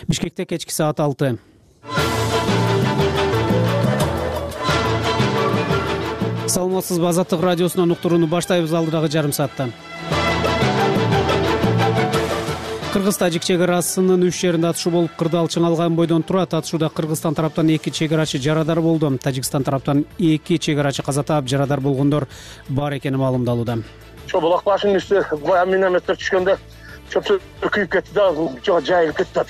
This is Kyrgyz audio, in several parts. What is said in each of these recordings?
Бишкекте кечки саат 6. Саламатсызбы, Азаттык радиосунан уктурууну баштайбыз. Алдыдагы жарым саатта Кыргыз-Тажик чек арасынын 3 жеринде атышуу болуп, кырдаал чыңалган бойдон турат. Атышууда Кыргызстан тараптан 2 чек арачы жарадар болду. Тажикстан тараптан 2 чек арачы каза таап, жарадар болгондор бар экени маалымдалууда. Булак башынын үстү баягы минометтер түшкөндө чөптөр күйүп кетти да, жайылып кетти.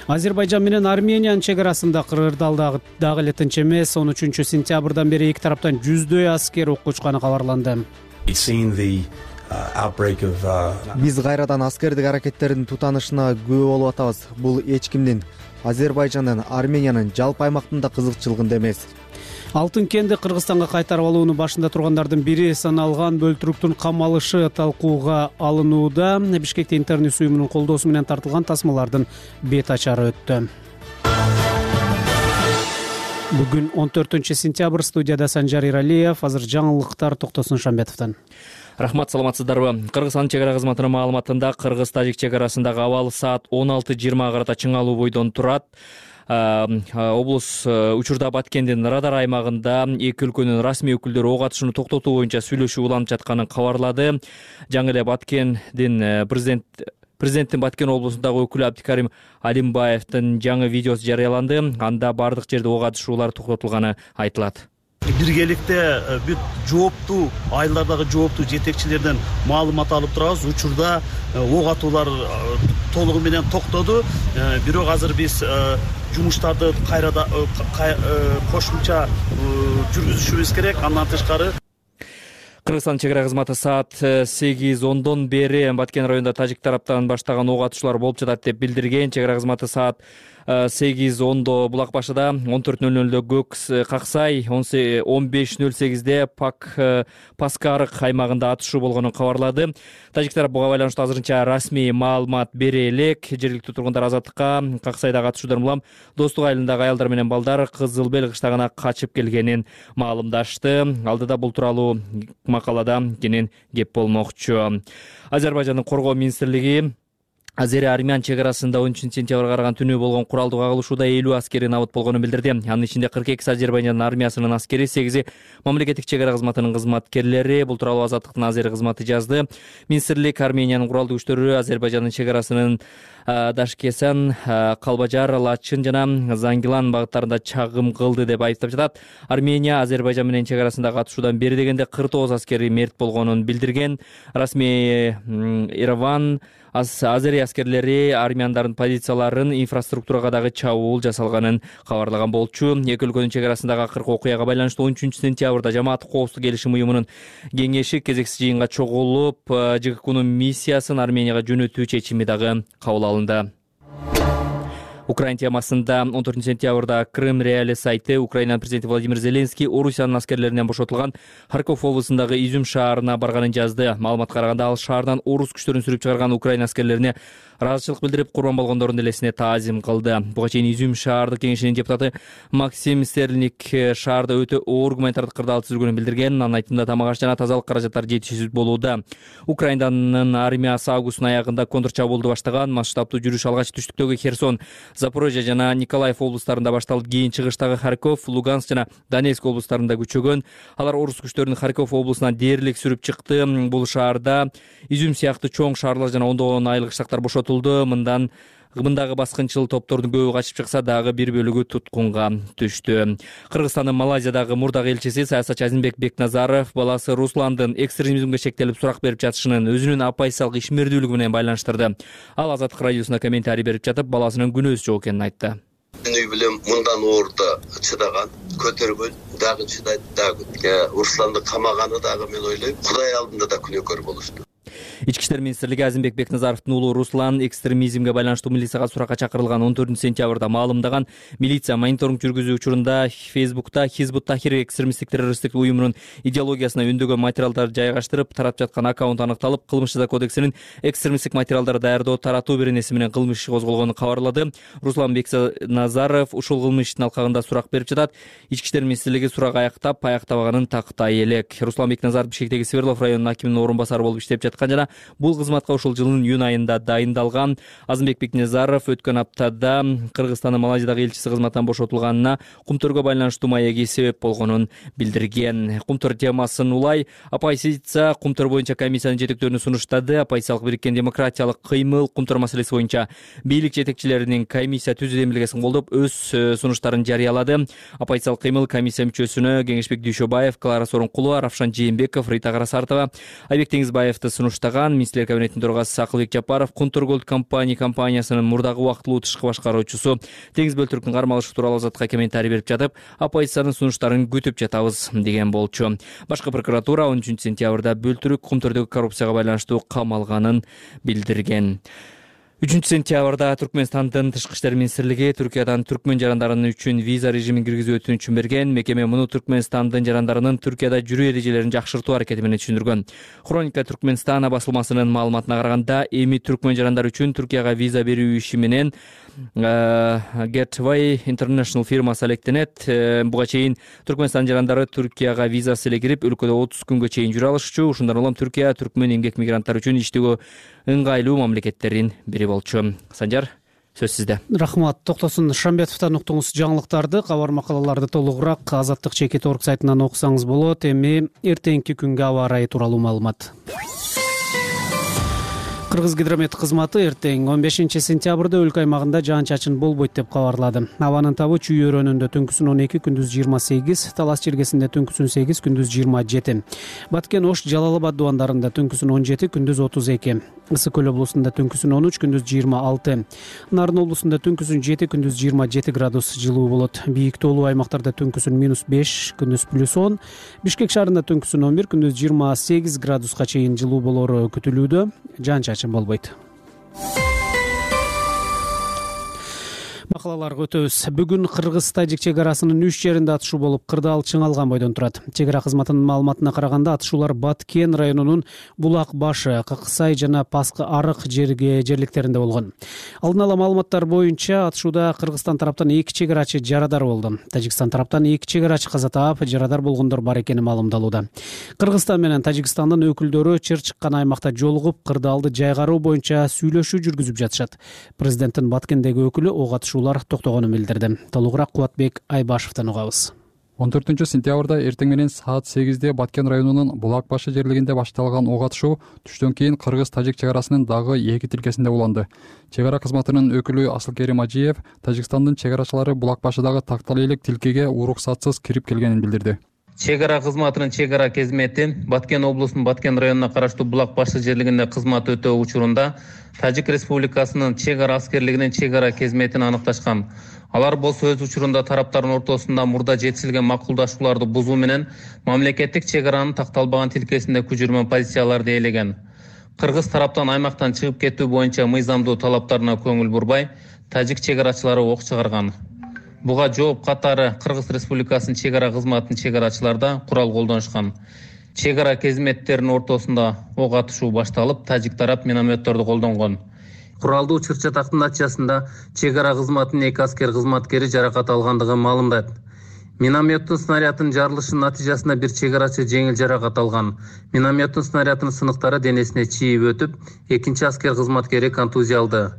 Азербайжан менен Армениянын чек арасында кырдаал дагы эле тынч эмес. 13 сентябрдан бери эки тараптан жүздөй аскер окко учканы кабарланды. Биз кайрадан аскердик аракеттердин тутанышына күбө болуп атабыз. Бул эч кимдин, Азербайжандын, Армениянын жалпы аймактында кызыкчылыгында эмес. Алтын кенди Кыргызстанга кайтарып алууну башында тургандардын бири саналган бөлтүрүктүн камалышы талкууга алынууда. Бишкекте интернет уюмунун колдоосу менен тартылган тасмалардын бет ачары өттү. Бүгүн 14 сентябрь, студияда Санжар Иралиев. Азыр жаңылыктар Токтосун Шамбетовдон. Рахмат, саламатсыздарбы? Кыргызстан чек ара кызматынын маалыматында Кыргыз-Тажик чек арасындагы абал саат 16:20 карата чыңалуу бойдон турат. Облус учурда Баткендин радар аймагында эки өлкөнүн расмий өкүлдөрү ок атышууну токтотуу боюнча сүйлөшүү уланып жатканын кабарлады. Жаңы эле Баткендин президенттин Баткен облусундагы өкүлү Абдикарим Алимбаевдин жаңы видеосу жарыяланды. Анда бардык жерде ок атышуулар токтотулганы айтылат. Биргеликте бүт жооптуу айылдардагы жооптуу жетекчилерден маалымат алып турабыз. Учурда ок атуулар толугу менен токтоду. Бирок азыр биз жумуштарды кайрада кошумча жүргүзүшүбүз керек. Андан тышкары Кыргызстан чек ара кызматы саат 8:10дон бери Баткен районунда тажик тараптан баштаган ок атышуулар болуп жатат деп билдирген. Чек ара кызматы саат 8:10 Булак башыда, 14:00 Көк Каксай, 15:08 Паскарык аймагында атышуу болгонун кабарлады. Тажик тарап буга байланыштуу азырынча расмий маалымат бере элек. Жергиликтүү тургундар Азаттыкка Каксайдагы атышуудан улам Достук айылындагы аялдар менен балдар Кызыл Бел кыштагына качып келгенин маалымдашты. Алдыда бул тууралуу макалада кенен кеп болмокчу. Азербайжандын коргоо министрлиги Азери-Армян чек арасында 13 сентябрга караган түнү болгон куралдуу кагылышууда 50 аскери набыт болгонун билдирди. Анын ичинде 42 Азербайжан армиясынын аскери, 8 мамлекеттик чек ара кызматынын кызматкерлери. Бул тууралуу Азаттыктын Азери кызматы жазды. Министрлик Армениянын куралдуу күчтөрү Азербайжандын чек арасынын Дашкесан, Калбажар, Лачын жана Зангилан багыттарында чагым кылды деп айыптап жатат. Армения Азербайжан менен чек арасындагы атышуудан бери дегенде 49 аскери мерт болгонун билдирген. Расмий Ереван Азери аскерлери армяндардын позицияларын, инфраструктурага дагы чабуул жасалганын кабарлаган болчу. Эки өлкөнүн чек арасындагы акыркы окуяга байланыштуу 13 сентябрда Жамааттык коопсуздук келишим уюмунун кеңеши кезексиз жыйынга чогулуп, ЖККнун миссиясын Арменияга жөнөтүү чечими дагы кабыл алынды. Украина темасында 14 сентябрда Крым Реали сайты Украина президенти Владимир Зеленский Орусиянын аскерлеринен бошотулган Харьков облусундагы Изюм шаарына барганын жазды. Маалыматка караганда ал шаардан орус күчтөрүн сүрүп чыгарган Украина аскерлерине ыраазычылык билдирип, курман болгондордун элесине таазим кылды. Буга чейин Изюм шаардык кеңешинин депутаты Максим Стерлик шаарда өтө оор гуманитардык кырдаал түзүлгөнүн билдирген. Анын айтымында тамак аш жана тазалык каражаттары жетишсиз болууда. Украинанын армиясы августтун аягында контрчабуулду баштаган. Масштабтуу жүрүш алгач түштүктөгү Херсон, Запорожье жана Николаев облустарында башталып, кийин чыгыштагы Харьков, Луганск жана Донецк облустарында күчөгөн. Алар орус күчтөрүнүн Харьков облусунан дээрлик сүрүп чыкты. Бул шаарда Изюм сыяктуу чоң шаарлар жана ондогон айыл кыштактар бошотулду. Мындагы баскынчыл топтордун көбү качып чыкса дагы бир бөлүгү туткунга түштү. Кыргызстандын Малайзиядагы мурдагы элчиси саясатчы Азимбек Бекназаров баласы Русландын экстремизмге шектелип сурак берип жатышынын өзүнүн апайсалык ишмердүүлүгү менен байланыштырды. Ал Азаттык радиосуна комментарий берип жатып, баласынын күнөөсү жок экенин айтты. Үй билем мындан оорда чыдаган, көтөргөн, дагы чыдайт, дагы. Русланды камаганы дагы мен ойлойм, Кудай алдында да күнөөкөр болушту. Ички иштер министрлиги Азимбек Бекназаровдун уулу Руслан экстремизмге байланыштуу милицияга суракка чакырылган 14 сентябрда маалымдаган. Милиция мониторинг жүргүзүү учурунда Фейсбукта Хизбут Тахир экстремисттик террористтик уюмунун идеологиясына өндөгөн материалдар жайгаштырып, тарап жаткан аккаунт аныкталып, Кылмыш жаза кодексинин экстремисттик материалдар даярдоо, таратуу беренеси менен кылмыш иши козголгонун кабарлады. Руслан Бекназаров ушул кылмыш иштин алкагында сурак берип жатат. Ички иштер министрлиги сурак аяктабаганын тактай элек. Руслан Бекназаров Бишкектеги Свердлов районунун акиминин орун басары болуп иштеп жаткан жана Бул кызматка ушул жылдын июнь айында дайындалган. Азымбек Бекназаров өткөн аптада Кыргызстандын Малайзиядагы элчиси кызматтан бошотулганына кумтөргө байланыштуу маеги себеп болгонун билдирген. Кумтөр темасын улай оппозиция кумтөр боюнча комиссиянын жетектөөрүнө сунуштады. Оппозициялык бириккен демократиялык кыймыл кумтөр маселеси боюнча бийлик жетекчилеринин комиссия түзүү демилгесин колдоп өз сунуштарын жарыялады. Оппозициялык кыймыл комиссия мүчөсүнө Кеңешбек Дүйшөбаев, Клара Сооронкулова, Равшан Жээнбеков, Рита Карасартова, Айбек Теңизбаевди сунуштаган. Министрлер кабинетинин төрагасы Акылбек Жапаров Кумтөр Голд компаниясынын мурдагы убактылуу тышкы башкаруучусу Теңиз Бөлтүрктүн кармалышы тууралуу азаттыкка комментарий берип жатып, оппозициянын сунуштарын күтүп жатабыз деген болчу. Башкы прокуратура 13 сентябрда Бөлтүрк Кумтөрдөгү коррупцияга байланыштуу камалганын билдирген. 3 сентябрда Түркмөнстандын Тышкы иштер министрлиги Түркиядан түркмөн жарандары үчүн виза режимин киргизүү өтүнүчүн берген. Мекеме муну Түркмөнстандын жарандарынын Түркияда жүрүү эрежелерин жакшыртуу аракети менен түшүндүргөн. Хроника Түркмөнстана басылмасынын маалыматына караганда, эми түркмөн жарандары үчүн Түркияга виза берүү иши менен Gateway International фирмасы алектенет. Буга чейин Түркмөнстан жарандары Түркияга визасы эле кирип, өлкөдө 30 күнгө чейин жүрө алышчу. Ушундан улам Түркия түркмөн эмгек мигранттар үчүн иштөөгө ыңгайлуу мамлекеттердин бири болчу. Санжар, сөз сизде. Рахмат. Токтосун Шамбетовдон уктуңуз жаңылыктарды. Кабар макалаларды толугураак Азаттык чекит орг сайтынан окусаңыз болот. Эми эртеңки күнгө аба ырайы тууралуу маалымат. Кыргызгидромет кызматы эртең 15 сентябрда өлкө аймагында жаан-чачын болбойт деп кабарлады. Абанын табы Чүй өрөөнүндө түнкүсүн 12, күндүз 28, Талас Чиргесинде түнкүсүн 8, күндүз 27, Баткен Ош Жалал Абад дубандарында түнкүсүн 17, күндүз 32, Ысык Көл облусунда түнкүсүн 13, күндүз 26, Нарын облусунда түнкүсүн 7, күндүз 27 градус жылуу болот. Бийик тоолуу аймактарда түнкүсүн -5, күндүз +10, Бишкек шаарында түнкүсүн 11, күндүз 28 градуска чейин жылуу болору күтүлүүдө. Жаан-чачын болбойт. Макалаларга өтөбүз. Бүгүн Кыргыз-Тажик чек арасынын 3 жеринде атышуу болуп, кырдаал чыңалган бойдон турат. Чек ара кызматынын маалыматына караганда, атышуулар Баткен районунун Булак башы, Каксай жана Паскы Арык жерликтеринде болгон. Алдын ала маалыматтар боюнча, атышууда Кыргызстан тараптан 2 чек арачы жарадар болду. Тажикстан тараптан 2 чек арачы каза таап, жарадар болгондор бар экени маалымдалууда. Кыргызстан менен Тажикстандын өкүлдөрү чыр чыккан аймакта жолугуп, кырдаалды жайгаруу боюнча сүйлөшүү жүргүзүп жатышат. Президенттин Баткендеги өкүлү ок атышуулар токтогонун билдирди. Толугураак Кубатбек Айбашевден угабыз. 14 сентябрда эртең менен саат 8-де Баткен районунун Булак башы жерлигинде башталган ок атышуу түштөн кийин Кыргыз-Тажик чек арасынын дагы 2 тилкесинде уланды. Чек ара кызматынын өкүлү Асылкерим Ажиев Тажикстандын чек арачылары Булак башыдагы тактал элек тилкеге уруксатсыз кирип келгенин билдирди. Чек ара кызматынын чек ара кезмети Баткен облусунун Баткен районуна караштуу Булак башы жерлигинде кызмат өтөө учурунда Тажик Республикасынын чек ара аскерлигинин чек ара кезметин аныкташкан. Алар болсо өз учурунда тараптардын ортосунда мурда жетишилген макулдашууларды бузуу менен мамлекеттик чек аранын такталбаган тилкесинде күжүрмө позицияларды ээлеген. Кыргыз тараптан аймактан чыгып кетүү боюнча мыйзамдуу талаптарына көңүл бурбай, тажик чек арачылары ок чыгарган. Буга жооп катары Кыргыз Республикасынын чек ара кызматынын чек арачыларда курал колдонушкан. Чек ара кезметтеринин ортосунда ок атышуу башталып, тажик тарап минометторду колдонгон. Куралдуу чыр-чатактын натыйжасында чек ара кызматынын 2 аскер кызматкери жаракат алгандыгын маалымдайт. Минометтин снарядынын жарылышынын натыйжасында бир чек арачы жеңил жаракат алган. Минометтин снарядынын сыныктары денесине чийип өтүп, 2 аскер кызматкери контузия алды.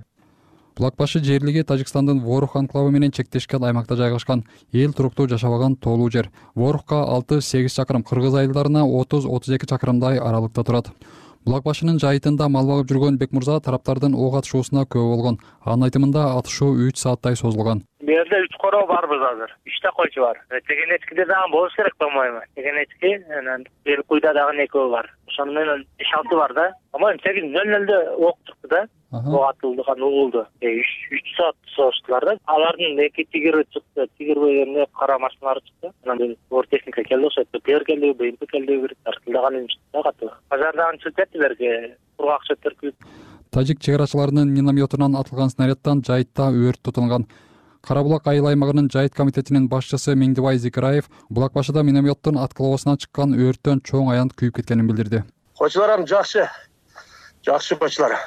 Булак башы жерлиги Тажикстандын Ворух анклавы менен чектешкен аймакта жайгашкан, эл туруктуу жашабаган тоолуу жер. Ворухка 6-8 чакырым, кыргыз айылдарына 30-32 чакырымдай аралыкта турат. Булак башынын жайытында мал багып жүргөн Бек мырза тараптардын ок атышуусуна күбө болгон. Анын айтымында атышуу 3 сааттай созулган. Бу жерде 3 короо барбыз азыр. 3 койчу бар. Тегенечкиде дагы болуш керек, по-моему. Тегенечки, анан бир куйда дагы экөө бар. Ошону менен 5-6 бар да. По-моему 8:00-да ок чыкты да. Ок атылды, угулду. 3 саат созуштулар да. Алардын 2 тигири чыкты, тигир бөлүмүнө кара машиналар чыкты. Анан ор техника келди, ошо ПР келди, БМП келди, бир тартылган эмчи да катты. Базардан чыгып кетти берге, кургак шөптөр күп. Тажик чек арачыларынын минометунан атылган снарядтан жайытта өрт тутунган. Карабулак айыл аймагынын жайыт комитетинин башчысы Меңдибай Зикираев Булак башыда минометтин аткылоосуна чыккан өрттөн чоң аянт күйүп кеткенин билдирди. Койчуларым жакшы койчулар.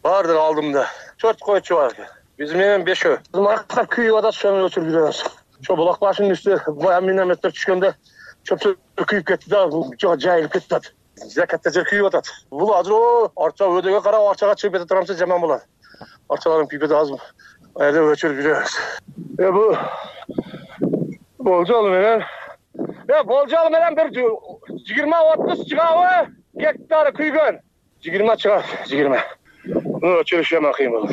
Бардыр алдымда. 4 койчу бар. Биз менен 5-өө. Кызматка күйүп атат, ошону өчүрүп жүрөбүз. Ошо Булак башынын үстү минометтер түшкөндө чөптөр күйүп кетти да, жайылып кетти. Жа катта жер күйүп атат. Бул азыр арча өдөгө карап арчага чыгып кете турамса жаман болот. Арчалардын пипети азыр эле өчүрүп жүрөбүз. Бул болжол менен бир 20-30 чыгабы гектар күйгөн. 20 чыгат, 20. Өчүрүш жаман кыйын болот.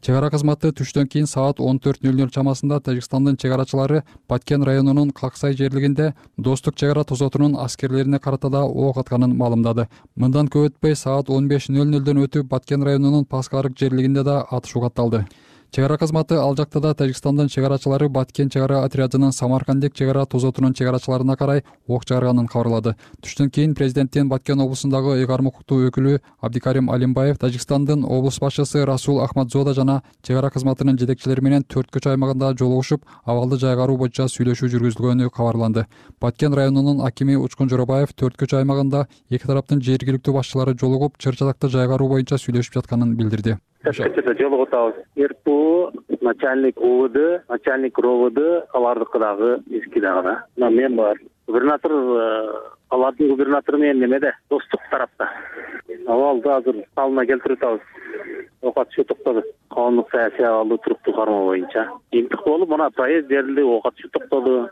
Чек ара кызматы түштөн кийин саат 14:00 чамасында Тажикстандын чек арачылары Баткен районунун Каксай жерлигинде Достук чек ара тозотунун аскерлерине карата да ок атканын маалымдады. Мындан көп өтпөй саат 15:00 өтүп Баткен районунун Паскарык жерлигинде да атышуу катталды. Чек ара кызматы ал жакта да Тажикстандын чек арачылары Баткен чек ара отрядынын Самаркандек чек ара тозотунун чек арачыларына карай ок чыгарганын кабарлады. Түштөн кийин президенттин Баткен облусундагы ыйгарым укуктуу өкүлү Абдикарим Алимбаев Тажикстандын облус башчысы Расул Ахмадзода жана чек ара кызматынын жетекчилери менен 4 көчө аймагында жолугушуп, абалды жайгаруу боюнча сүйлөшүү жүргүзүлгөнү кабарланды. Баткен районунун акими Учкун Жоробаев 4 көчө аймагында эки тараптын жергиликтүү башчылары жолугуп, чыр-чатакты жайгаруу боюнча сүйлөшүп жатканын билдирди. Жолугуп атабыз. РПУ, начальник УВД, начальник РОВД, алардыкы дагы эски дагы да. Мен бар. Губернатор, алардын губернатору менен немеде? Достук тарапта. Абалды азыр алына келтирип атабыз. Ок атышуу токтоду. Коомдук саясий абалды туруктуу кармоо боюнча. Имтих болуп, мына проезд берилди, ок атышуу токтоду.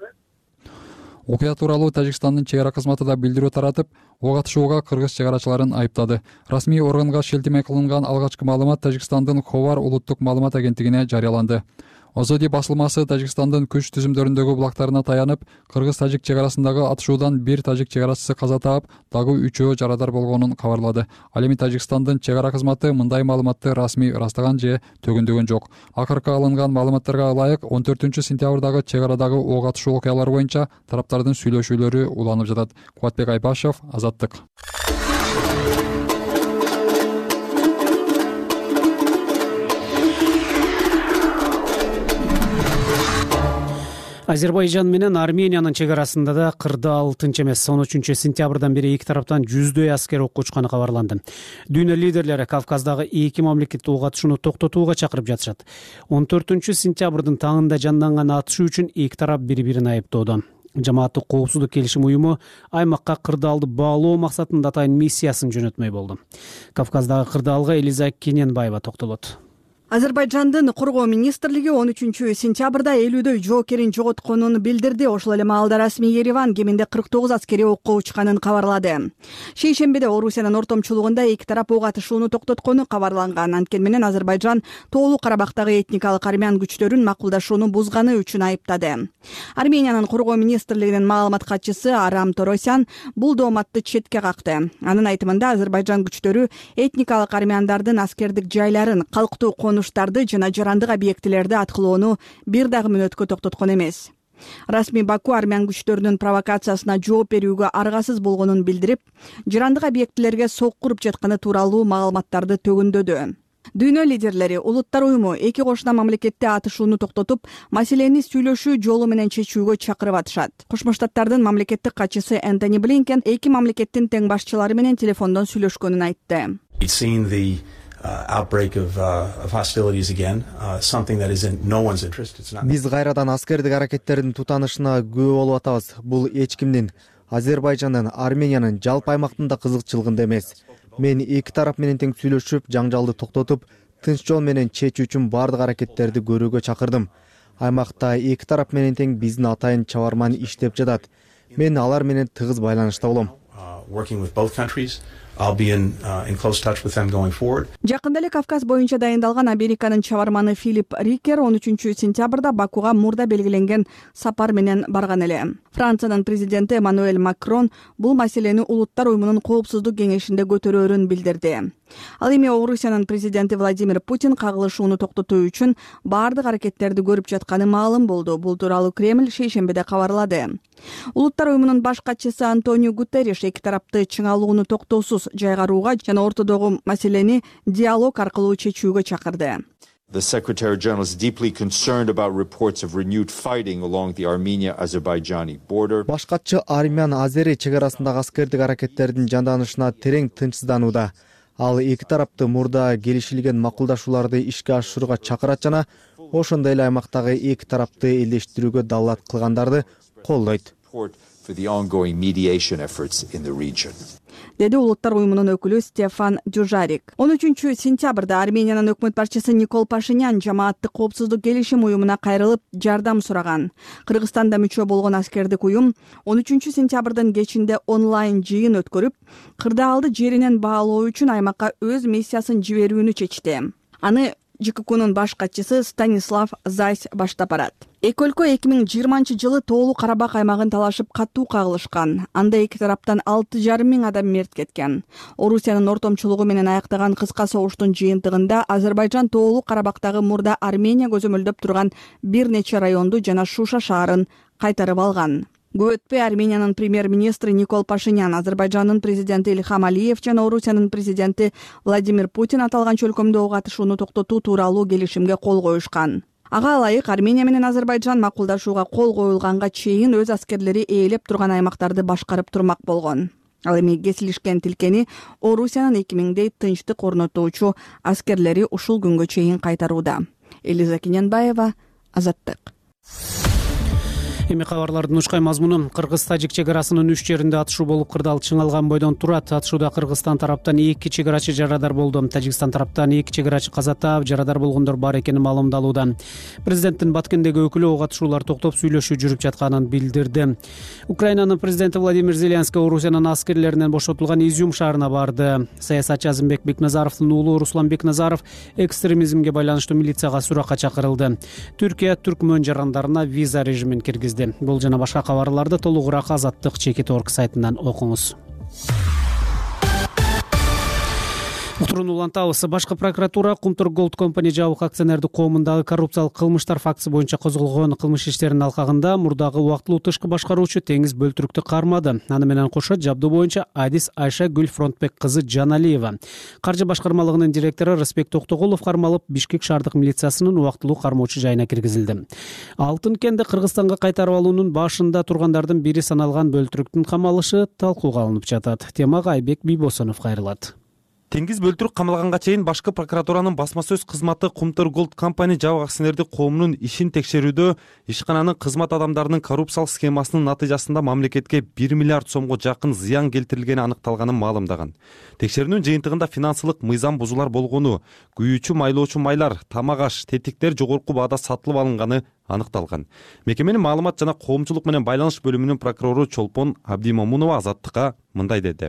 Окуя тууралуу Тажикстандын чек ара кызматы да билдирүү таратып, ок атышууга кыргыз чек арачыларын айыптады. Расмий органга шилтеме кылынган алгачкы маалымат Тажикстандын Ховар улуттук маалымат агенттигине жарыяланды. Озоди басылмасы Тажикстандын күч түзүмдөрүндөгү булактарына таянып, кыргыз-тажик чек арасындагы атышуудан бир тажик чек арачысы каза таап, дагы 3-өө жарадар болгонун кабарлады. Ал эми Тажикстандын чек ара кызматы мындай маалыматты расмий ырастаган же төгүндөгөн жок. Акыркы алынган маалыматтарга ылайык 14-сентябрдагы чек арадагы ок атышуу окуялары боюнча тараптардын сүйлөшүүлөрү уланып жатат. Кубатбек Айбашев, Азаттык. Азербайжан менен Армениянын чек арасында да 46 эмес 13 сентябрдан бери эки тараптан 100дөй аскер окко учканы кабарланды. Дүйнө лидерлери Кавказдагы эки мамлекетти ок атышууну токтотууга чакырып жатышат. 14 сентябрдын таңында жанданган атышуу үчүн эки тарап бири-бирин айыптоодо. Жамааттык коопсуздук келишим уюму аймакка кырдаалды баалоо максатында атайын миссиясын жөнөтмөй болду. Кавказдагы кырдаалга Элиза Кененбаева токтолот. Азербайжандын коргоо министрлиги 13 сентябрда 50дөй жоокерин жоготконун билдирди. Ошол эле маалда расмий Ереван кеминде 49 аскери окко учканын кабарлады. Шейшембиде Орусиянын ортомчулугунда эки тарап ок атышууну токтоткону кабарланган. Анткени менен Азербайжан Тоолуу Карабактагы этникалык армян күчтөрүн макулдашууну бузганы үчүн айыптады. Армениянын коргоо министрлигинин маалымат катчысы Арам Торосян бул дооматты четке какты. Анын айтымында Азербайжан күчтөрү этникалык армяндардын аскердик жайларын, калктуу конуштарды жана жарандык объектилерди аткылоону бир дагы мүнөткө токтоткон эмес. Расмий Баку армян күчтөрүнүн провокациясына жооп берүүгө аргасыз болгонун билдирип, жарандык объектилерге сокку уруп жатканы тууралуу маалыматтарды төгүндөдү. Дүйнө лидерлери Улуттар уюму эки кошуна мамлекетте атышууну токтотуп, маселени сүйлөшүү жолу менен чечүүгө чакырып атышат. Кошмо Штаттардын мамлекеттик катчысы Энтони Блинкен эки мамлекеттин тең башчылары менен телефондон сүйлөшкөнүн айтты. Биз кайрадан аскердик аракеттердин тутанышына күбө болуп атабыз. Бул эч кимдин, Азербайжандын, Армениянын жалпы аймактында кызыкчылыгында эмес. Мен эки тарап менен тең сүйлөшүп, жаңжалды токтотуп, тынч жол менен чечүү үчүн бардык аракеттерди көрүүгө чакырдым. Аймакта эки тарап менен тең биздин атайын чабарман иштеп жатат. Мен алар менен тыгыз байланышта болом. Жакында эле Кавказ боюнча дайындалган Американын чабарманы Филипп Рикер 13 сентябрда Бакуга мурда белгиленген сапар менен барган эле. Франциянын президенти Эммануэль Макрон бул маселени Улуттар уюмунун коопсуздук кеңешинде көтөрөөрүн билдирди. Ал эми Орусиянын президенти Владимир Путин кагылышууну токтотуу үчүн бардык аракеттерди көрүп жатканы маалым болду. Бул тууралуу Кремль шейшембиде кабарлады. Улуттар уюмунун баш катчысы Антонио Гутерриш эки тарапты чыңалууну токтоосуз жайгарууга жана ортодогу маселени диалог аркылуу чечүүгө чакырды. The Secretary-General is deeply concerned about reports of renewed fighting along the Armenia-Azerbaijani border. Баш катчы Армян-Азери чек арасындагы аскердик аракеттердин жанданышына терең тынчсызданууда. Ал эки тарапты мурда келишилген макулдашууларды ишке ашырууга чакырат жана ошондой эле аймактагы эки тарапты элдештирүүгө далат кылгандарды колдойт. For the ongoing mediation efforts in the region. деди улуттар уюмунун өкүлү Стефан Дюжарик. 13 сентябрда Армениянын өкмөт башчысы Никол Пашинян жамааттык коопсуздук келишим уюмуна кайрылып жардам сураган. Кыргызстанда мүчө болгон аскердик уюм 13 сентябрдын кечинде онлайн жыйын өткөрүп, кырдаалды жеринен баалоо үчүн аймакка өз миссиясын жиберүүнү чечти. Аны ЖККнун баш катчысы Станислав Зайс баштап барат. Эки өлкө 2020-жылы Тоолуу Карабак аймагын талашып катуу кагылышкан. Анда эки тараптан 6,5 миң адам мерт кеткен. Орусиянын ортомчулугу менен аяктаган кыска согуштун жыйынтыгында Азербайжан Тоолуу Карабактагы мурда Армения көзөмөлдөп турган бир нече районду жана Шуша шаарын кайтарып алган. Көп өтпөй Армениянын премьер-министри Никол Пашинян, Азербайжандын президенти Ильхам Алиев жана Орусиянын президенти Владимир Путин аталган чөлкөмдө ок атышууну токтотуу тууралуу келишимге кол коюшкан. Ага ылайык Армения менен Азербайжан макулдашууга кол коюлганга чейин өз аскерлери ээлеп турган аймактарды башкарып турмак болгон. Ал эми кесилишкен тилкени Орусиянын 2000дей тынчтык орнотуучу аскерлери ушул күнгө чейин кайтарууда. Элиза Киненбаева, Азаттык. Эми кабарлардын ушкай мазмуну: Кыргыз-Тажик чек арасынын 3 жеринде атышуу болуп, кырдаал чыңалган бойдон турат. Атышууда Кыргызстан тараптан 2 чек арачы жарадар болду. Тажикстан тараптан 2 чек арачы каза таап, жарадар болгондор бар экени маалымдалууда. Президенттин Баткендеги өкүлү ок атышуулар токтоп, сүйлөшүү жүрүп жатканын билдирди. Украинанын президенти Владимир Зеленский Орусиянын аскерлеринен бошотулган Изюм шаарына барды. Саясатчы Азымбек Бекназаровдун уулу Руслан Бекназаров экстремизмге байланыштуу милицияга суракка чакырылды. Түркия түркмөн жарандарына виза режимин киргизди. Бул жана башка кабарларды толугураак Азаттык Чекит орг сайтынан окуңуз. Утурууну улантабыз. Башкы прокуратура Кумтур Голд Компани жабык акционердик коомундагы коррупциялык кылмыштар фактысы боюнча козголгон кылмыш иштеринин алкагында мурдагы убактылуу тышкы башкаруучу Теңиз Бөлтүрүктү кармады. Аны менен кошо жабдуу боюнча Адис Айша Гүл Фронтбек кызы Жаналиева, каржы башкармалыгынын директору Рысбек Токтогулов кармалып, Бишкек шаардык милициясынын убактылуу кармоочу жайына киргизилди. Алтын кенди Кыргызстанга кайтарып алуунун башында тургандардын бири саналган Бөлтүрүктүн камалышы талкууга алынып жатат. Темага Айбек Бийбосонов кайрылат. Теңиз Бөлтүрүк камалганга чейин башкы прокуратуранын басма сөз кызматы Кумтур Голд Компани жабык акционердик коомунун ишин текшерүүдө ишкананын кызмат адамдарынын коррупциялык схемасынын натыйжасында мамлекетке 1 миллиард сомго жакын зыян келтирилгени аныкталганын маалымдаган. Текшерүүнүн жыйынтыгында финансылык мыйзам бузуулар болгону, күйүүчү майлоочу майлар, тамак аш, тетиктер жогорку баада сатылып алынганы аныкталган. Мекеменин маалымат жана коомчулук менен байланыш бөлүмүнүн прокурору Чолпон Абдимомунова Азаттыкка мындай деди.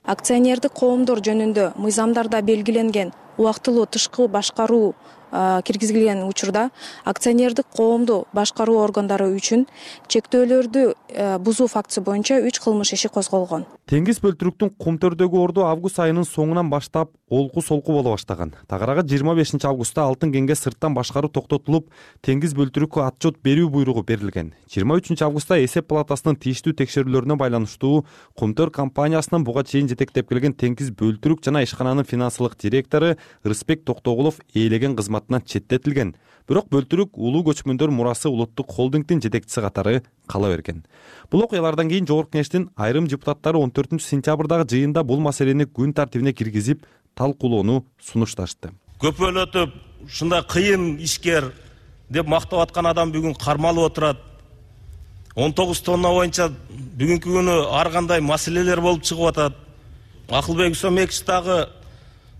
Акционердик коомдор жөнүндө мыйзамдарда белгиленген убактылуу тышкы башкаруу киргизилген учурда акционердик коомду башкаруу органдары үчүн чектөөлөрдү бузуу фактысы боюнча 3 кылмыш иши козголгон. Теңиз Бөлтүрүктүн Кумтөрдөгү орду август айынын соңунан баштап олку-солку боло баштаган. Тагыраагы 25 августта алтын кенге сырттан башкаруу токтотулуп, Теңиз Бөлтүрүккө отчет берүү буйругу берилген. 23 августта эсеп палатасынын тийиштүү текшерүүлөрүнө байланыштуу Кумтөр компаниясынын буга чейин жетектеп келген Теңиз Бөлтүрүк жана ишкананын финансылык директору Рысбек Токтогулов ээлеген кызматынан четтетилген. Бирок Бөлтүрүк улуу көчмөндөр мурасы улуттук холдингдин жетекчиси катары кала берген. Бул окуялардан кийин Жогорку Кеңештин айрым депутаттары 14 сентябрдагы жыйында бул маселени күн тартибине киргизип, талкуулоону сунушташты. Көпөлөтүп, ушундай кыйын ишкер деп мактап аткан адам бүгүн кармалып отурат. 19 тонна боюнча бүгүнкү күнү ар кандай маселелер болуп чыгып атат. Акылбек Үсөмбекович дагы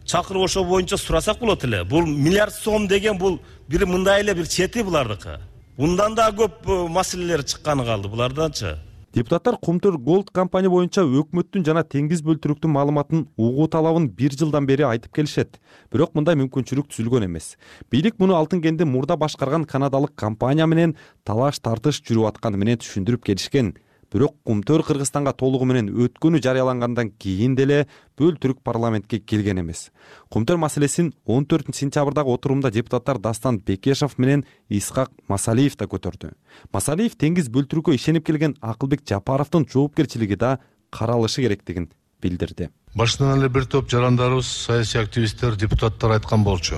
чакырып ошол боюнча сурасак болот эле. Бул миллиард сом деген бул бир мындай эле бир чети булардыкы. Bundan da көп маселелер чыкканы калды булардачы. Депутаттар Кумтур Голд компания боюнча өкмөттүн жана Теңиз Бөлтүрүктүн маалыматын угуу талабын 1 жылдан бери айтып келишет. Бирок мындай мүмкүнчүлүк түзүлгөн эмес. Бийлик муну алтын кенди мурда башкарган канадалык компания менен талаш тартыш жүрүп атканы менен түшүндүрүп келишкен. Бирок Кумтөр Кыргызстанга толугу менен өткөнү жарыялангандан кийин деле Бөлтүрүк парламентке келген эмес. Кумтөр маселесин 14 сентябрдагы отурумда депутаттар Дастан Бекешев менен Исхак Масалиев да көтөрдү. Масалиев Теңиз Бөлтүрүккө ишенип келген Акылбек Жапаровдун жоопкерчилиги да каралышы керектигин билдирди. Башынан эле бир топ жарандарыбыз, саясий активисттер, депутаттар айткан болчу.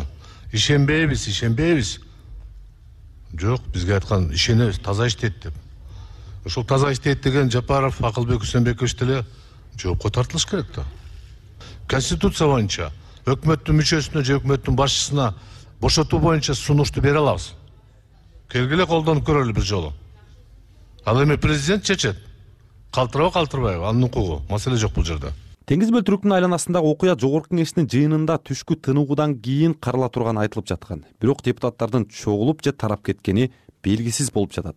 Ишенбейбиз. Жок, бизге айткан ишенебиз, таза иштейт деп. Ошол таза иштейт деген Жапаров, Акылбек Үсөнбекович деле жоопко тартылыш керек да. Конституция боюнча өкмөттүн мүчөсүнө же өкмөттүн башчысына бошотуу боюнча сунушту бере алабыз. Келгиле колдонуп көрөлү бир жолу. Ал эми президент чечет. Калтырабы, калтырбайбы, анын укугу. Маселе жок бул жерде. Теңиз бөлтүрүктүн айланасындагы окуя жогорку кеңештин жыйынында түшкү тыныгуудан кийин карала турганы айтылып жаткан. Бирок депутаттардын чогулуп же тарап кеткени белгисиз болуп жатат.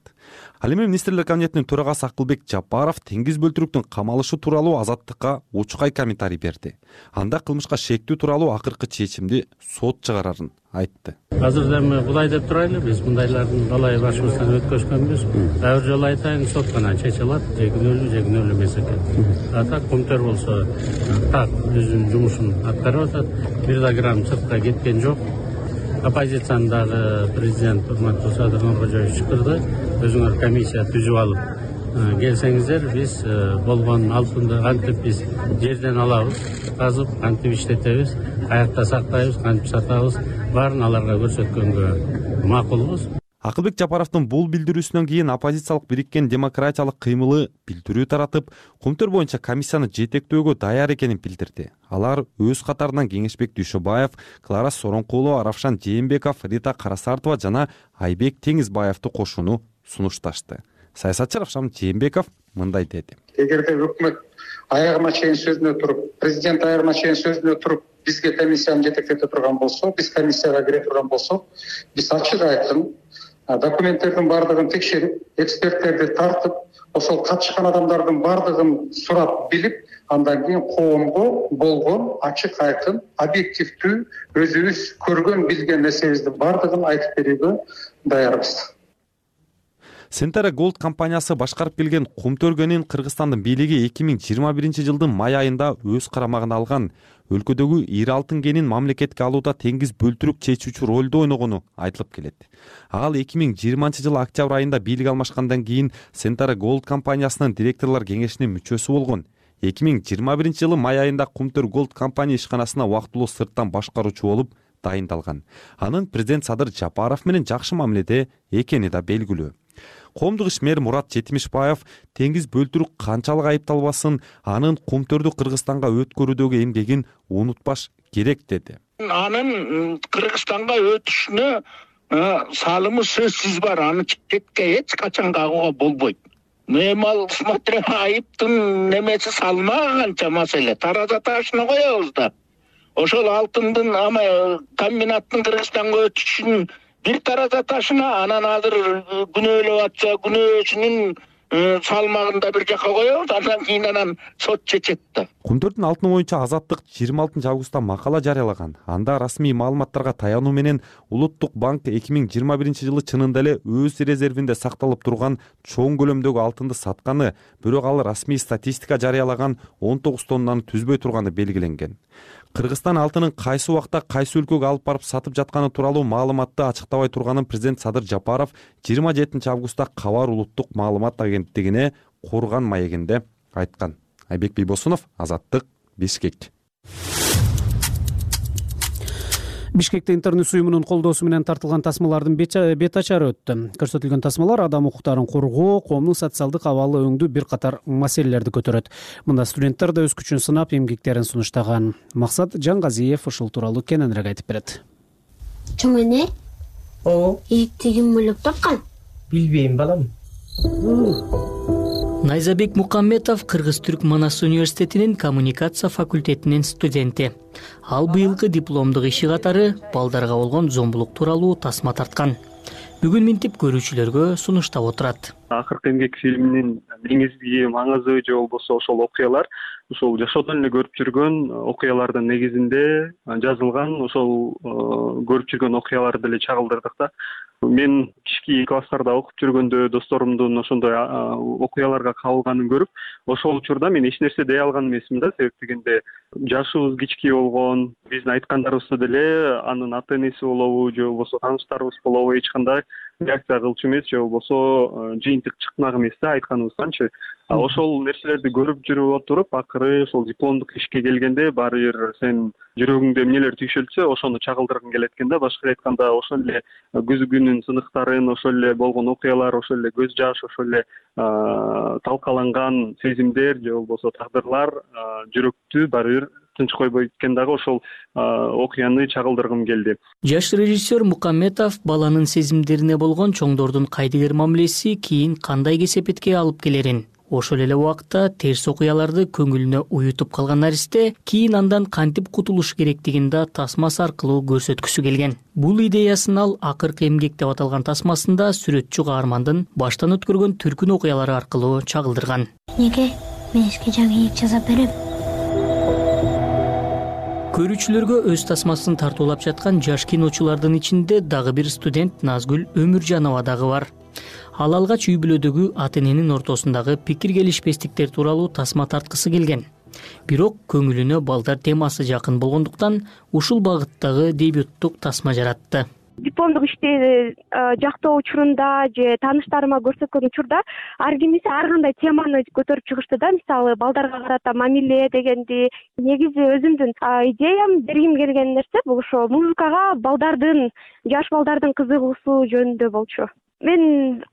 Ал эми министрлер кабинетинин төрагасы Акылбек Жапаров теңиз бөлтүрүктүн камалышы тууралуу Азаттыкка учкай комментарий берди. Анда кылмышка шектүү тууралуу акыркы чечимди сот чыгарарын айтты. Азыр эми Кудай деп турайлы, биз мындайлардын далай башыбыздан өткөзгөнбүз. Ар бир жолу айтайын, сот гана чече алат, же күнөөлүү эмес экен. Так Көмтөр болсо так өзүнүн жумушун аткарып атат. Бир да грамм сыртка кеткен жок. Оппозициянын дагы президент урматтуу Садыр Нуркожоевич чакырды. Өзүңөр комиссия түзүп алып келсеңиздер, биз болгон алтынды кантип биз жерден алабыз, казып, кантип иштетебиз, каякта сактайбыз, кантип сатабыз, баарын аларга көрсөткөнгө макулбуз. Акылбек Жапаровдун бул билдирүүсүнөн кийин оппозициялык бириккен демократиялык кыймылы билдирүү таратып, Көмтөр боюнча комиссияны жетектөөгө даяр экенин билдирди. Алар өз катарынан Кеңешбек Дүйшөбаев, Клара Соронкулова, Равшан Жээнбеков, Рита Карасартова жана Айбек Теңизбаевди кошууну сунушташты. Саясатчы Равшан Жээнбеков мындай деди. Эгерде өкмөт аягына чейин сөзүнө туруп, президент аягына чейин сөзүнө туруп, бизге комиссияны жетектете турган болсо, биз комиссияга кире турган болсок, биз ачык айкын документтердин бардыгын текшерип, эксперттерди тартып, ошол катышкан адамдардын бардыгын сурап билип, андан кийин коомго болгон ачык айкын, объективдүү, өзүбүз көргөн, билген нерсебиздин бардыгын айтып берүүгө даярбыз. Centara Gold компаниясы башкарып келген Көмтөргөнүн Кыргызстандын бийлиги 2021 жылдын май айында өз карамагына алган. Өлкөдөгү ири алтын кенин мамлекетке алууда теңиз бөлтүрүк чечүүчү ролду ойногону айтылып келет. Ал 2020 жылы октябрь айында бийлик алмашкандан кийин Centara Gold компаниясынын директорлор кеңешинин мүчөсү болгон. 2021 жылы май айында Көмтөр Gold компания ишканасына убактылуу сырттан башкаруучу болуп дайындалган. Анын президент Садыр Жапаров менен жакшы мамиледе экени да белгилүү. Коомдук ишмер Мурат Жетимишбаев теңиз бөлтүрүк канчалык айыпталбасын, анын Көмтөрдү Кыргызстанга өткөрүүдөгү эмгегин унутпаш керек деди. Анын Кыргызстанга өтүшүнө салымы сөзсүз бар, аны четке эч качан кагууга болбойт. Эми ал смотря айыптын немеси салмаганча маселе, тараза ташына коебуз да. Ошол алтындын комбинаттын Кыргызстанга өтүшүн бир тараза ташына, анан азыр күнөөлөп атса, күнөөсүнүн салмагында бир жака коебуз, андан кийин сот чечет да. Көмтөрдүн алтыны боюнча Азаттык 26 августта макала жарыялаган. Анда расмий маалыматтарга таянуу менен Улуттук банк 2021 жылы чынында эле өз резервинде сакталып турган чоң көлөмдөгү алтынды сатканы, бирок ал расмий статистика жарыялаган 19 тоннаны түзбөй турганы белгиленген. Кыргызстан алтынын кайсы убакта кайсы өлкөгө алып барып сатып жатканы тууралуу маалыматты ачыктабай турганын президент Садыр Жапаров 27 августта Кабар улуттук маалымат агенттигине Курган маегинде айткан. Айбек Бийбосунов, Азаттык, Бишкек. Бишкекте интернет уюмунун колдоосу менен тартылган тасмалардын бет ачары өттү. Көрсөтүлгөн тасмалар адам укуктарын коргоо, коомдун социалдык абалы өңдүү бир катар маселелерди көтөрөт. Мында студенттер да өз күчүн сынап, эмгектерин сунуштаган. Максат Жаңгазиев ушул тууралуу кененирээк айтып берет. Чоң эне? Ийикти ким ойлоп тапкан? Билбейм, балам. Найзабек Мукамметов Кыргыз-Түрк Манас университетинин коммуникация факультетинин студенти. Ал быйылкы дипломдук иши катары балдарга болгон зомбулук тууралуу тасма тарткан. Бүгүн минтип көрүүчүлөргө сунуштап отурат. Акыркы эмгек фильминин негизги маңызы же болбосо ошол окуялар ошол жашоодон эле көрүп жүргөн окуялардын негизинде жазылган, ошол көрүп жүргөн окуяларды эле чагылдырдык да. Мен кички класстарда окуп жүргөндө досторумдун ошондой окуяларга кабылганын көрүп, ошол учурда мен эч нерсе дей алган эмесмин да, себеп дегенде жашыбыз кички болгон, биздин айткандарыбызды деле анын ата энеси болобу же болбосо тааныштарыбыз болобу эч кандай реакция кылчу эмес, же болбосо жыйынтык чыкмак эмес да айтканыбызданчы. Ошол нерселерди көрүп жүрүп отуруп, акыры ошол дипломдук ишке келгенде баары бир сен жүрөгүңдө эмнелер түйшөлсө, ошону чагылдыргың келет экен да. Башкача айтканда, ошол эле күзгүнүн сыныктарын, ошол эле болгон окуялар, ошол эле көз жаш, ошол эле талкаланган сезимдер же болбосо тагдырлар жүрөктү баары бир тынч койбойт экен дагы, ошол окуяны чагылдыргым келди. Жаш режиссер Мукамметов баланын сезимдерине болгон чоңдордун кайдыгер мамилеси кийин кандай кесепетке алып келерин Ошол эле убакта терс окуяларды көңүлүнө уютуп калган наристе кийин андан кантип кутулуш керектигин да тасмасы аркылуу көрсөткүсү келген. Бул идеясын ал Акыркы эмгек деп аталган тасмасында сүрөтчү каармандын баштан өткөргөн түркүн окуялары аркылуу чагылдырган. Неге мен сизге жаңы жаза берем? Көрүүчүлөргө өз тасмасын тартуулап жаткан жаш киночулардын ичинде дагы бир студент Назгүл Өмүржанова дагы бар. Ал алгач үй бүлөдөгү ата-эненин ортосундагы пикир келишпестиктер тууралуу тасма тарткысы келген. Бирок көңүлүнө балдар темасы жакын болгондуктан ушул багыттагы дебюттук тасма жаратты. Дипломдук ишти жактоо учурунда же тааныштарыма көрсөткөн учурда ар кимиси ар кандай теманы көтөрүп чыгышты да. Мисалы балдарга карата мамиле дегенди. Негизи өзүмдүн идеям бергим келген нерсе бул ошо музыкага жаш балдардын кызыгуусу жөнүндө болчу. Мен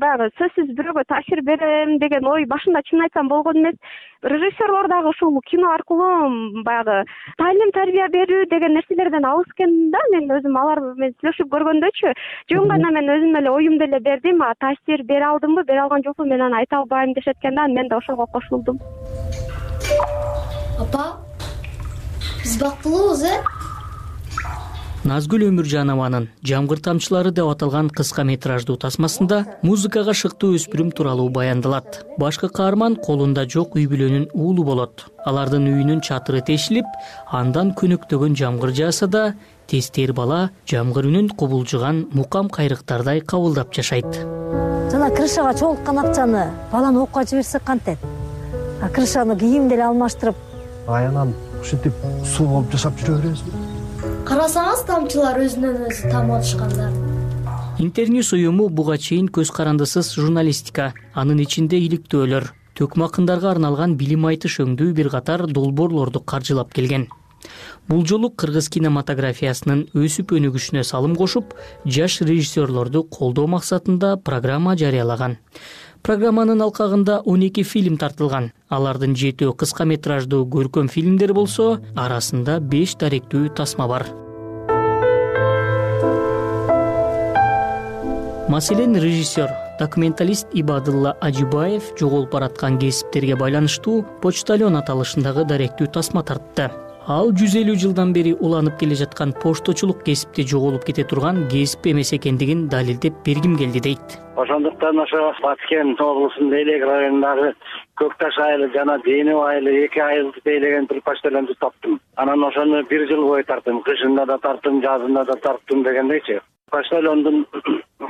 баягы сөзсүз бирөөгө таасир берем деген ой башында чын айтсам болгон эмес. Режиссерлор дагы ушул кино аркылуу баягы талим тарбия берүү деген нерселерден алыс экен да. Мен өзүм алар менен сүйлөшүп көргөндөчү жөн гана мен өзүм эле оюмду эле бердим. Таасир бере алдымбы, бере алган жокпу мен аны айта албайм дешет экен да. Мен да ошого кошулдум. Апа, биз бактылуубуз, Назгүл Өмүржанованын «Жамгыр тамчылары» деп аталган кыска метраждуу тасмасында музыкага шыктуу өспүрүм тууралуу баяндалат. Башкы каарман колунда жок үй бүлөнүн уулу болот. Алардын үйүнүн чатыры тешилип, андан көнөктөгөн жамгыр жааса да, тестер бала жамгыр үнүн кубулжуган мукам кайрыктардай кабылдап жашайт. Жана крышага чогулткан акчаны баланы окууга жиберсек кантет? Крышаны кийим деле алмаштырып, аянан ушинтип суу болуп жашап жүрө беребиз. Карасаңыз тамчылар өзүнөн өзү тамып атышкандар. Интерньюс уюму буга чейин көз карандысыз журналистика, анын ичинде иликтөөлөр, төкмө акындарга арналган билим айтыш өңдүү бир катар долбоорлорду каржылап келген. Бул жолу кыргыз кинематографиясынын өсүп өнүгүшүнө салым кошуп, жаш режиссерлорду колдоо максатында программа жарыялаган. Программанын алкагында 12 фильм тартылган. Алардын 7 кыска метраждуу көркөм фильмдер болсо, арасында 5 даректүү тасма бар. Маселен, режиссер, документалист Ибадылла Ажибаев жоголуп бараткан кесиптерге байланыштуу почтальон аталышындагы даректүү тасма тартты. Ал 150 жылдан бери уланып келе жаткан пошточулук кесипти жоголуп кете турган кесип эмес экендигин далилдеп бергим келди дейт. Ошондуктан ошо Баткен облусунун Элек районундагы Көкташ айылы жана Денев айылы 2 айылды тейлеген бир почтальонду таптым. Анан ошону 1 жыл бою тарттым. Кышында да тарттым, жазында да тарттым дегендейчи. Почтальондун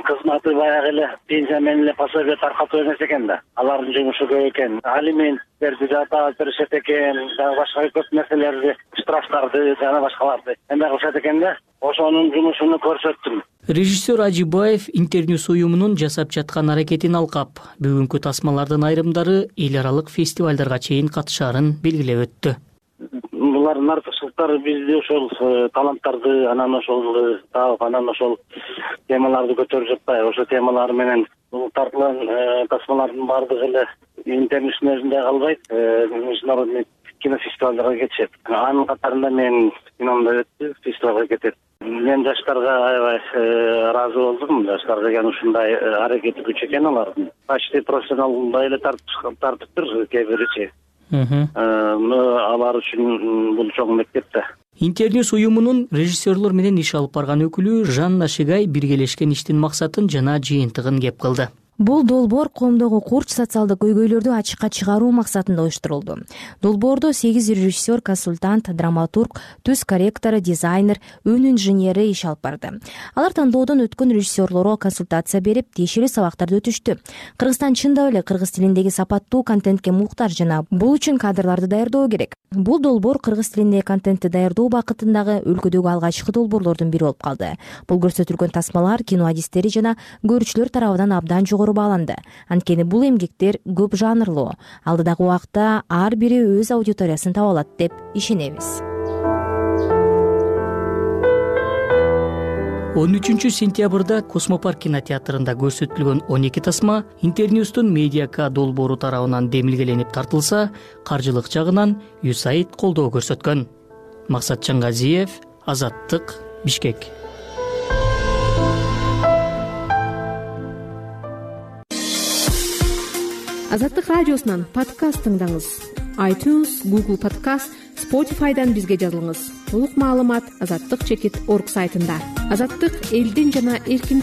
кызматы баягы эле пенсия менен эле пособие таркатуу эмес экен да. Алардын жумушу көп экен. Алименттерди жатап беришет экен, дагы башка көп нерселерди, штрафтарды жана башкаларды эме кылышат экен да. Ошонун жумушуну көрсөттүм. Режиссер Ажибаев Интерньюс уюмунун жасап жаткан аракетин алкап, бүгүнкү тасмалардын айрымдары эл аралык фестивалдарга чейин катышаарын белгилеп өттү. Булардын артыкчылыктары бизди ошол таланттарды анан ошол таап, анан ошол темаларды көтөрүп жатпайбы? Ошол темалар менен бул тартылган тасмалардын баардыгы эле Интерньюстун өзүндө калбайт, международный кинофестивалдарга кетишет. Анын катарында мен киномдо өттү, фестивалга кетет. Мен жаштарга аябай ыраазы болдум. Жаштар деген ушундай аракети күч экен алардын. Почти профессионалдай эле тартыптыр кээ биричи. Алар үчүн бул чоң мектеп да. Интерньюс уюмунун режиссерлор менен иш алып барган өкүлү Жанна Шигай биргелешкен иштин максатын жана жыйынтыгын кеп кылды. Бул долбоор коомдогу курч социалдык көйгөйлөрдү ачыкка чыгаруу максатында уюштурулду. Долбоордо 8 режиссер, консультант, драматург, түз корректору, дизайнер, өн инженери иш алып барды. Алар тандоодон өткөн режиссерлорго консультация берип, тиешелүү сабактарды өтүштү. Кыргызстан чындап эле кыргыз тилиндеги сапаттуу контентке муктаж жана бул үчүн кадрларды даярдоо керек. Бул долбоор кыргыз тилиндеги контентти даярдоо бакытындагы өлкөдөгү алгачкы долбоорлордун бири болуп калды. Бул көрсөтүлгөн тасмалар кино адистери жана көрүүчүлөр тарабынан абдан жогору бааланды. Анткени бул эмгектер көп жанрлуу. Алдыдагы убакта ар бири өз аудиториясын таба алат деп ишенебиз. 13 сентябрда Космопарк кинотеатрында көрсөтүлгөн 12 тасма Интерньюстун Медиака долбоору тарабынан демилгеленип тартылса, каржылык жагынан USAID колдоо көрсөткөн. Максат Чангазиев, Азаттык, Бишкек. Азаттык радиосунан подкаст тыңдаңыз. iTunes, Google Podcast, Spotify'дан бизге жазылыңыз. Толук маалымат Азаттык.org сайтында. Азаттык элдин жана эркиндик